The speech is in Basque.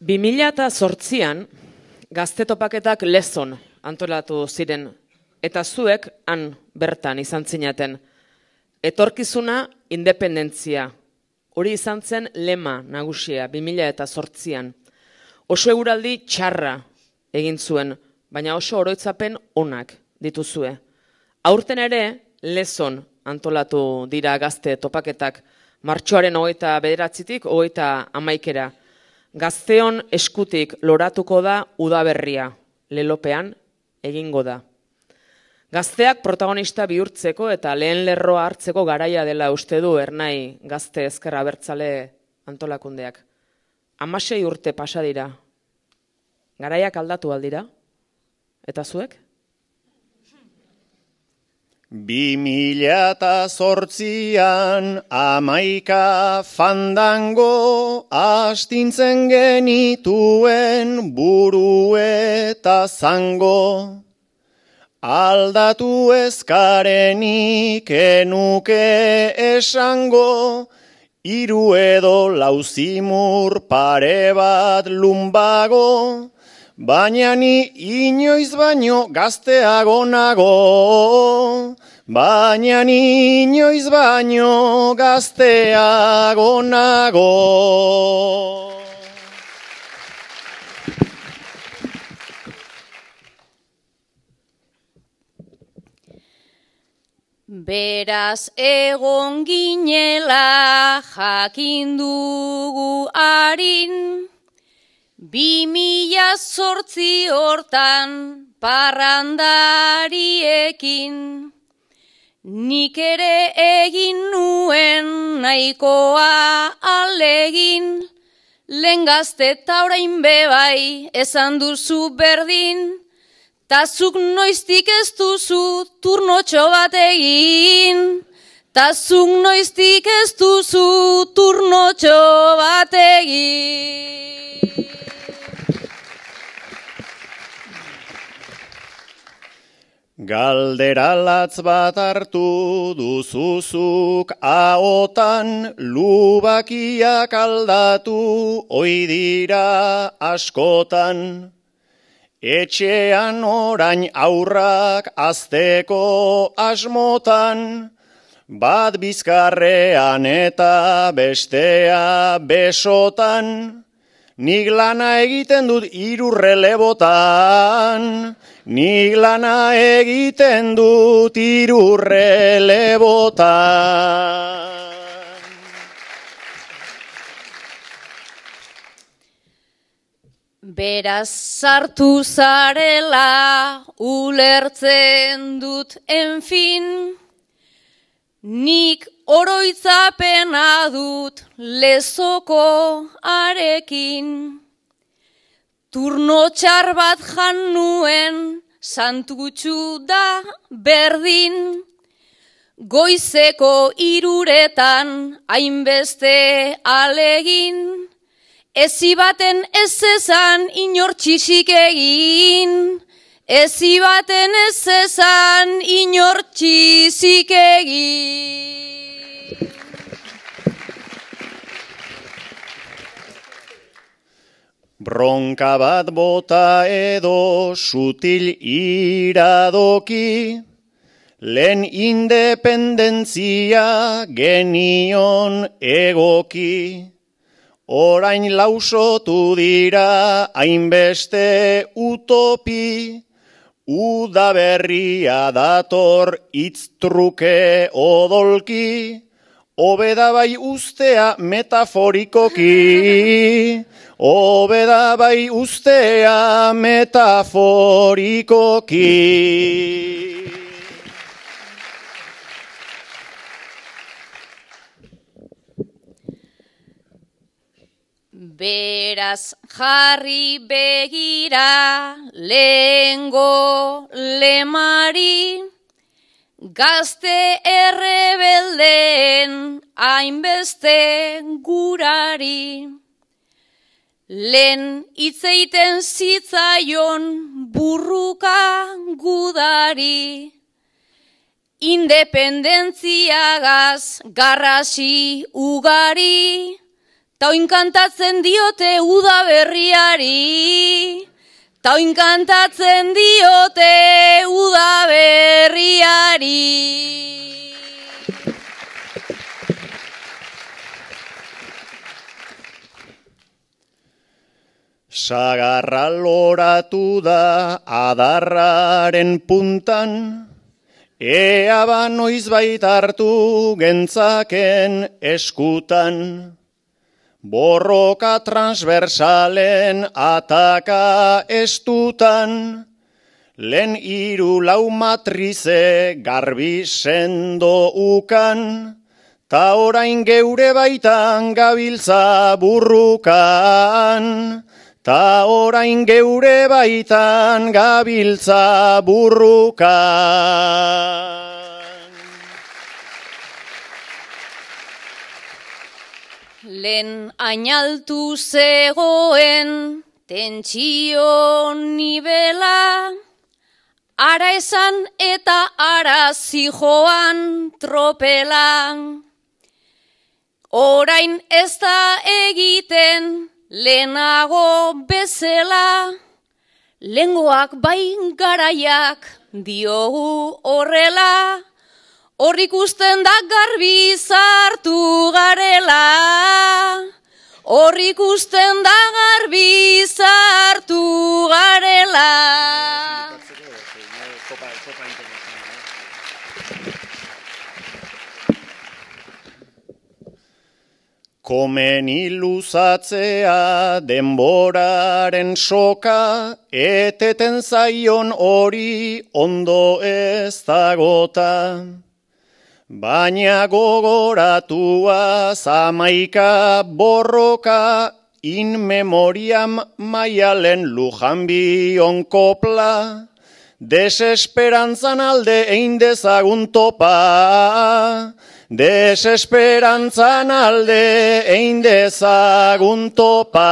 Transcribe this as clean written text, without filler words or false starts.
2008an gazte topaketak Lezon antolatu ziren, eta zuek han bertan izan zinaten. Etorkizuna independentzia. Hori izan zen lema nagusia 2008an. Oso eguraldi txarra egin zuen, baina oso oroitzapen onak dituzue. Aurten ere Lezon antolatu dira gazte topaketak, martxoaren 29-tik 31. Gazteon eskutik loratuko da udaberria, lelopean egingo da. Gazteak protagonista bihurtzeko eta lehen lerroa hartzeko garaia dela uste du Ernai Gazte Ezker Abertzale antolakundeak. 16 urte pasa dira. Garaiak aldatu aldira? Eta zuek? 2008an 11 fandango astintzen genituen buru eta zango. Aldatu ezkarenik enuke esango, 3 edo 4 zimur pare bat lumbago, baina ni inoiz baino gazteago nago. Baina ni inoiz baino gazteago nago. Beraz egon ginela jakin dugu harin, 2008 hortan parrandariekin. Nik ere egin nuen nahikoa alegin, lehen gazte eta orain bebai esan duzu berdin, tazuk noiztik ez duzu turnotxo bat egin, tazuk noiztik ez duzu turnotxo bat egin. Galdera latz bat hartu duzuzuk ahotan, lubakiak aldatu oi dira askotan. Etxean orain aurrak azteko asmotan, bat bizkarrean eta bestea besotan. Nik lana egiten dut 3 relebotan, nik lana egiten dut 3 relebotan. Beraz sartu zarela ulertzen dut enfin, nik oroitzapena dut Lezoko arekin. Turno txar bat jan nuen santutxu da berdin, goizeko 3etan hainbeste alegin. Ezi baten ez ezan inor txisik egin, ezi baten ez ezan inor txisik egin. Bronka bat bota edo sutil iradoki, lehen independentzia genion egoki. Orain lausotu dira hainbeste utopi, udaberria dator itztruke odolki, hobeda bai ustea metaforikoki, hobeda bai ustea metaforikoki. Beraz jarri begira lehengo lemari, gazte errebeldeen hainbeste gurari. Lehen hitzeiten zitzaion burruka gudari, independentziagaz garrasi ugari, ta oin kantatzen diote uda berriari, ta oin kantatzen diote uda berriari. Sagarra loratu da adarraren puntan, ea ba noizbait hartu gentzaken eskutan. Borroka transversalen ataka estutan, lehen 3-4 matrize garbi sendo ukan, ta orain geure baitan gabiltza burrukan. Ta orain geure baitan gabiltza burrukan. Lehen ainaltu zegoen tentsio nibela, ara esan eta ara zijoan tropela. Orain ez da egiten lehenago bezala, lehengoak bai garaiak diogu horrela, hor ikusten da garbi zartu garela, hor ikusten da garbi zartu garela. Komeni luzatzea denboraren soka, eteten zaion hori ondo ez dagota. Baina gogoratua zamaika borroka, in memoriam Maialen Lujanbion kopla, desesperantzan alde egin dezagun topa. Desesperantzan alde egin dezagun topa.